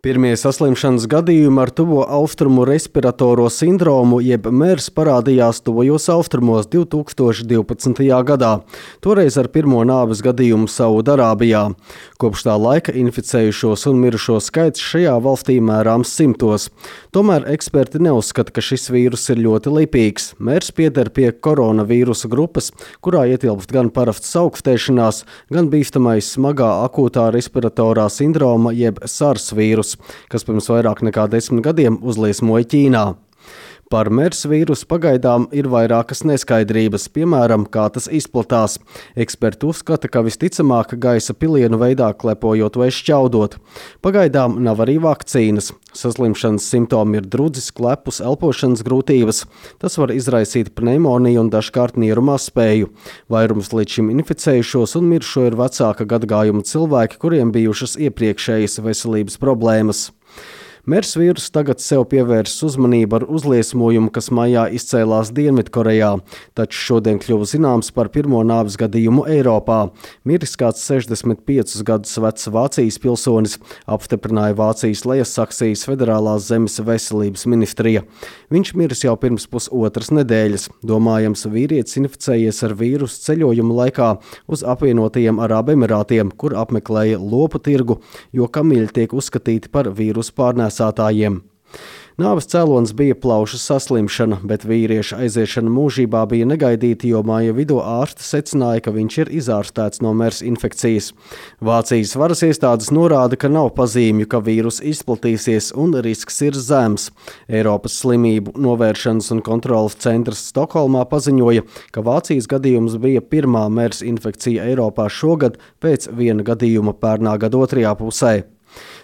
Pirmie saslimšanas gadījumi ar tuvo austrumu respiratoro sindromu jeb MERS parādījās tuvajos austrumos 2012. gadā, toreiz ar pirmo nāves gadījumu Saudarābijā. Kopš tā laika inficējušos un mirušo skaits šajā valstī mērāms simtos. Tomēr eksperti neuzskata, ka šis vīrus ir ļoti lipīgs. MERS pieder pie koronavīrusa grupas, kurā ietilpst gan parastas augstēšanās, gan bīstamais smagā akūtā respiratorā sindroma jeb SARS vīrus, kas pirms vairāk nekā 10 gadiem uzliesmoja Ķīnā. Par MERS vīrusu pagaidām ir vairākas neskaidrības, piemēram, kā tas izplatās. Eksperti uzskata, ka visticamāk gaisa pilienu veidā klepojot vai šķaudot. Pagaidām nav arī vakcīnas. Saslimšanas simptomi ir drudzis, klepus, elpošanas grūtības. Tas var izraisīt pneimoniju un dažkārt nieru mazspēju. Vairums līdz šim inficējušos un mirušo ir vecāka gadagājuma cilvēki, kuriem bijušas iepriekšējas veselības problēmas. MERS vīrus tagad sev pievērsis uzmanību ar uzliesmojumu, kas maijā izcēlās Dienvidkorejā, taču šodien kļuva zināms par pirmo nāves gadījumu Eiropā. Miris kāds 65 gadus vecs Vācijas pilsonis, apstiprināja Vācijas Lejassaksijas federālās zemes veselības ministrija. Viņš miris jau pirms pusotras nedēļas. Domājams, vīrietis inficējies ar vīrusu ceļojuma laikā uz apvienotajiem Arābu Emirātiem, kur apmeklēja lopu tirgu, jo kamiļi tiek uzskatīti par vīrusu pārnēsātājiem. Nāves cēlonis bija plaušu saslimšana, bet vīrieša aiziešana mūžībā bija negaidīta, jo māja vidū ārsti secināja, ka viņš ir izārstēts no MERS infekcijas. Vācijas varas iestādes norāda, ka nav pazīmju, ka vīrus izplatīsies un risks ir zems. Eiropas slimību novēršanas un kontrolas centrs Stokholmā paziņoja, ka Vācijas gadījums bija pirmā MERS infekcija Eiropā šogad pēc viena gadījuma pērnā gada otrajā pusē.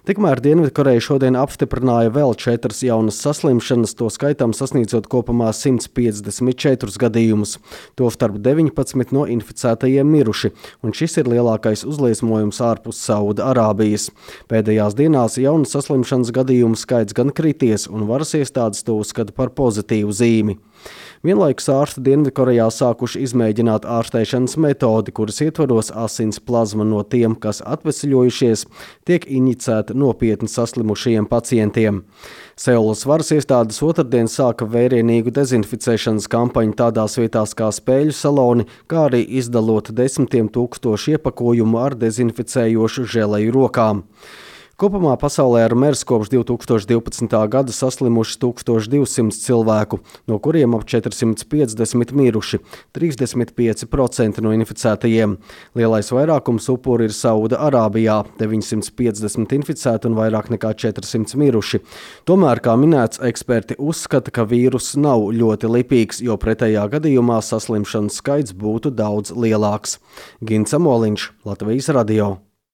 Tikmēr Dienvidkoreja šodien apstiprināja vēl 4 jaunas saslimšanas, to skaitām sasniedzot kopumā 154 gadījumus. Tostarp 19 no inficētajiem miruši, un šis ir lielākais uzliesmojums ārpus Saudarābijas. Pēdējās dienās jaunu saslimšanas gadījumu skaits gan krities, un varas iestādes to uzskata par pozitīvu zīmi. Vienlaikus ārsti Dienvidkorejā sākuši izmēģināt ārstēšanas metodi, kuras ietvaros asins plazma no tiem, kas atvesļojušies, tiek injicēta nopietni saslimušajiem pacientiem. Seulas varas iestādes otrdien sāka vērienīgu dezinficēšanas kampaņu tādās vietās kā spēļu saloni, kā arī izdalot 10 000 iepakojumu ar dezinficējošu želeju rokām. Kopumā pasaulē ar MERS kopš 2012. gada saslimuši 1200 cilvēku, no kuriem ap 450 miruši, 35% no inficētajiem. Lielais vairākums upuri ir Saudarābijā, 950 inficēti un vairāk nekā 400 miruši. Tomēr, kā minēts, eksperti uzskata, ka vīrus nav ļoti lipīgs, jo pretējā gadījumā saslimšanas skaits būtu daudz lielāks. Gins Amoliņš, Latvijas radio.